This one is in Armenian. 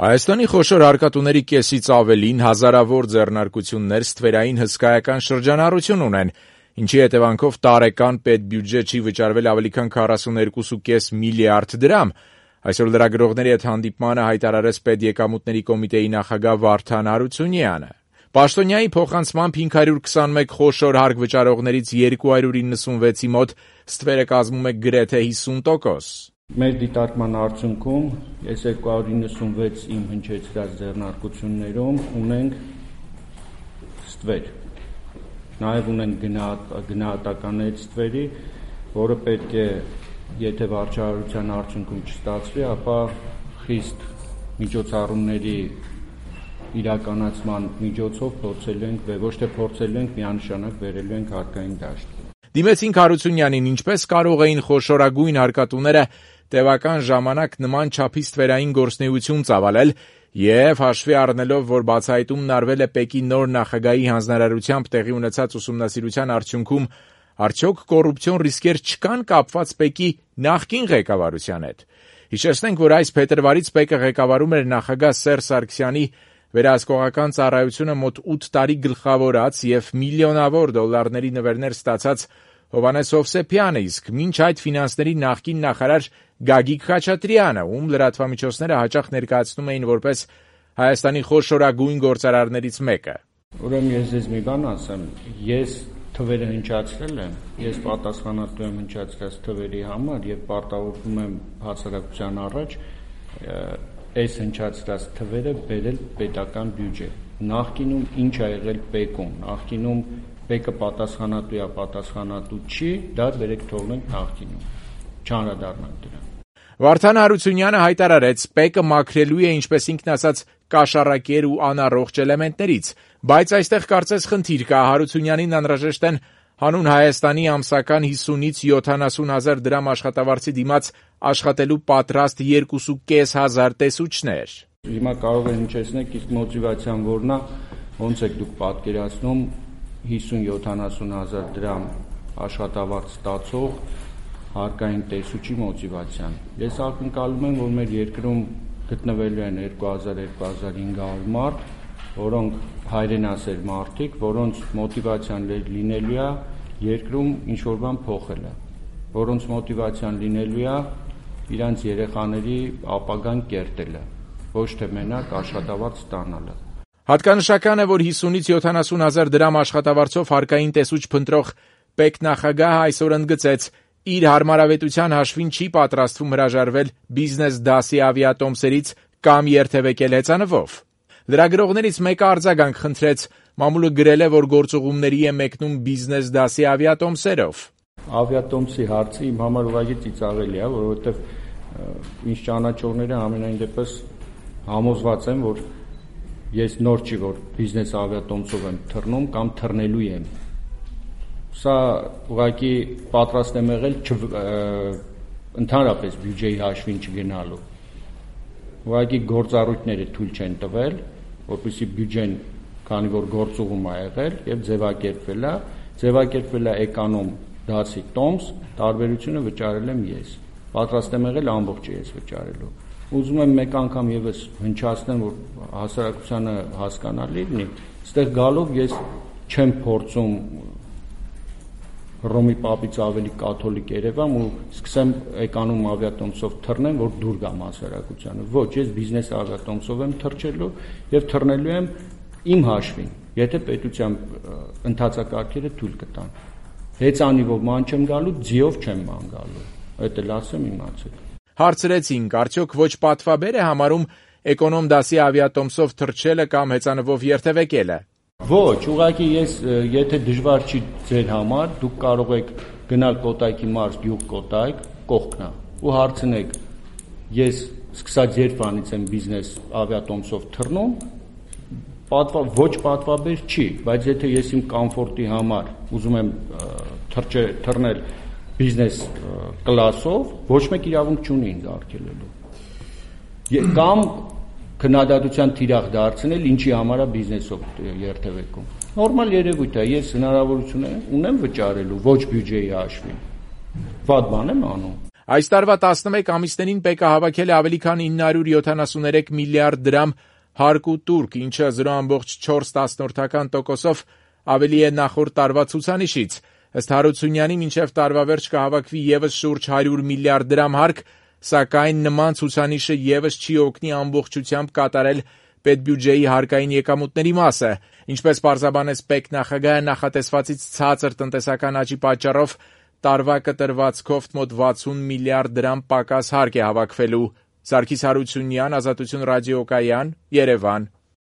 Հայաստանի խոշոր հարկատուների կեսից ավելին հազարավոր ձեռնարկություններ ստվերային հսկայական շրջանառություն ունեն, ինչի հետևանքով տարեկան պետբյուջե չի վճարվել ավելի քան 42.5 միլիարդ դրամ։ Այսօր լրագրողների հետ հանդիպմանը հայտարարեց Պետեկամուտների կոմիտեի նախագահ Վարդան Հարությունյանը։ Պաշտոնյայի փոխանցմամբ 521 խոշոր հարկ վճարողներից 296-ի մոտ ստվերը կազմում է գրեթե 50%։ Մեր դիտարկման արդյունքում այս 296 իմ հնչեցրած ձեռնարկություններում ունենք ստվեր։ Նաև ունենք գնահատականներից ստվերի, որը պետք է, եթե վարչարարության արդյունքում չստացվի, ապա խիստ միջոցառումների իրականացման միջոցով ոչ թե փորձելու ենք, միանշանակ բերելու ենք հարկային դաշտ։ Դիմեցինք Հարությունյանին, ինչպես կարող էին խոշորագույն հարկատուները տևական ժամանակ նման չափի ստվերային գործունեություն ծավալել եւ հաշվի առնելով, որ բացահայտումն արվել է ՊԵԿ-ի նոր նախագահի հանձնարարությամբ տեղի ունեցած ուսումնասիրության արդյունքում, արդյոք կոռուպցիոն ռիսկեր չկան կապված ՊԵԿ-ի նախկին ղեկավարության հետ։ Հիշեցնենք, որ այս փետրվարից ՊԵԿ-ը ղեկավարում էր նախագահ Սերժ Սարգսյանի վերահսկողական ծառայությունը մոտ 8 տարի գլխավորած եւ միլիոնավոր դոլարների նվերներ ստացած Հովհաննես Հովսեփյանը, իսկ մինչ այդ ֆինանսների նախկին նախարար Գագիկ Խաչատրյանը, ում լրատվամիջոցները հաճախ ներկայացնում էին որպես Հայաստանի խոշորագույն գործարարներից մեկը։ Ուրեմն ես ձեզ մի բան ասեմ, ես թվերը հնչացրել եմ, ես պատասխանատու եմ հնչացրած թվերի համար եւ պարտավորվում եմ հասարակության առաջ այս հնչացրած թվերը բերել պետական բյուջե։ Նախկինում ինչ ա եղել ՊԵԿ-ում, նախկինում ՊԵԿ-ը պատասխանատու է, պատասխանատու չի, դա բերեք թողնենք նախկինում, չանդրադառնանք դրան։ Վարդան Հարությունյանը հայտարարեց, ՊԵԿ-ը մաքրելու է, ինչպես ինքն ասաց, կաշառակեր ու անառողջ էլեմենտներից, բայց այստեղ կարծես խնդիր կա, Հարությունյանին անհրաժեշտ են հանուն Հայաստանի ամսական 50-ից 70 հազար դրամ աշխատավարձի դիմաց աշխատելու պատրաստ 2.500 տեսուչներ։ Հիմա կարող է հնչեցնեք, իսկ մոտիվացիան որն է, ոնց եք դուք պատկերացնում 50-70 հազար դրամ աշխատավարձ ստացող հարկային տեսուչի մոտիվացիան։ Ես ակնկալում եմ, որ մեր երկրում գտնվելու են 2000-2500 մարդ, որոնք հայրենասեր մարդիկ, որոնց մոտիվացիան լինելու է երկրում ինչ-որ բան փոխելը, որոնց մոտիվացիան լինելու է իրանց երեխաների ապագան կերտելը, ոչ թե մենակ աշխատավարձ ստանալը։ Հատկանշական է, որ 50-ից 70 հազար դրամ աշխատավարձով հարկային տեսուչ փնտրող ՊԵԿ նախագահը այսօր ընդգծեց, իր հարմարավետության հաշվին չի պատրաստվում հրաժարվել բիզնես դասի ավիատոմսերից կամ երթևեկել հեծանվով։ Լրագրողներից մեկը արձագանք խնդրեց, մամուլը գրել է, որ գործուղումների է մեկնում բիզնես դասի ավիատոմսերով։ Ավիատոմսի հարցը իմ համար ուղղակի ծիծաղելի է, որովհետև ինձ ճանաչողները ամենայն դեպս համոզված են, որ ես նոր չի, որ բիզնես ավիատոմսով եմ թռնում կամ թռնելու եմ։ Սա ուղղակի պատրաստ եմ եղել ընդհանրապես բյուջեի հաշվին չգնալու։ Ուղղակի գործառույթները թույլ չեն տվել, որպեսզի բյուջեն, քանի որ գործուղում է եղել եւ ձևակերպվել է էկոնոմ դասի տոմս, տարբերությունը վճարել եմ ես։ Պատրաստ եմ եղել ամբողջը ես վճարելու։ Ուզում եմ մեկ անգամ եւս հնչացնեմ, որ հասարակությանը հասկանալի լինի, այստեղ գալով ես չեմ փորձում Հռոմի պապից ավելի կաթոլիկ Երևան ու սկսեմ էկոնոմ ավիատոմսով թռնեմ, որ դուր գամ հասարակությանը։ Ոչ, ես բիզնես ավիատոմսով եմ թռչելու եւ թռնելու եմ իմ հաշվին, եթե պետության ընթացակարգերը թույլ կտան։ Հեծանիվով ման չեմ գալու, ձիով չեմ ման գալու։ Այդ էլ ասեմ իմացեք։ Հարցրեցինք, արդյոք ոչ պատվաբեր է համարում էկոնոմ դասի ավիատոմսով թռչելը կամ հեծանվով երթևեկելը։ Ոչ, ուղղակի ես, եթե դժվար չի ձեր համար, դուք կարող եք գնալ Կոտայքի մարզ գյուղ Կոտայք, կողքնա, ու հարցնեք, ես սկսած երբանից եմ բիզնես ավիատոմսով թռնում, ոչ պատվաբեր չի, բայց եթե ես իմ կոմֆորտի համար ուզում եմ թռնել բիզնես կլասով, ոչ մեկ իրավունք չունի ինձ արգելելու։ Կամ քննադատության թիրախ դարձնել, ինչի համար է բիզնեսով երթևեկում։ Նորմալ երևույթ է, ես հնարավորություն ունեմ վճարելու ոչ բյուջեի հաշվին։ Վատ բան եմ անում։ Այս տարվա 11 ամիսներին ՊԿ հավաքել է ավելի քան 973 միլիարդ դրամ հարկ ու տուրք, ինչը 0,4% ավելի է նախորդ տարվա ցուցանիշից։ Ըստ Հարությունյանի, մինչև տարվա վերջ կհավաքվի ևս շուրջ 100 միլիարդ դրամ հարկ, սակայն նման ցուցանիշը ևս չի օգնի ամբողջությամբ կատարել պետբյուջեի հարկային եկամուտների մասը։ Ինչպես պարզաբանեց ՊԵԿ նախագահը, նախատեսվածից ցածր տնտեսական աճի պատճառով տարվա կտրվածքով մոտ 60 միլիարդ դրամ պակաս հարկ է հավաքվելու։ Սարգիս Հարությունյան, Ազատություն ռադիոկայան, Երևան։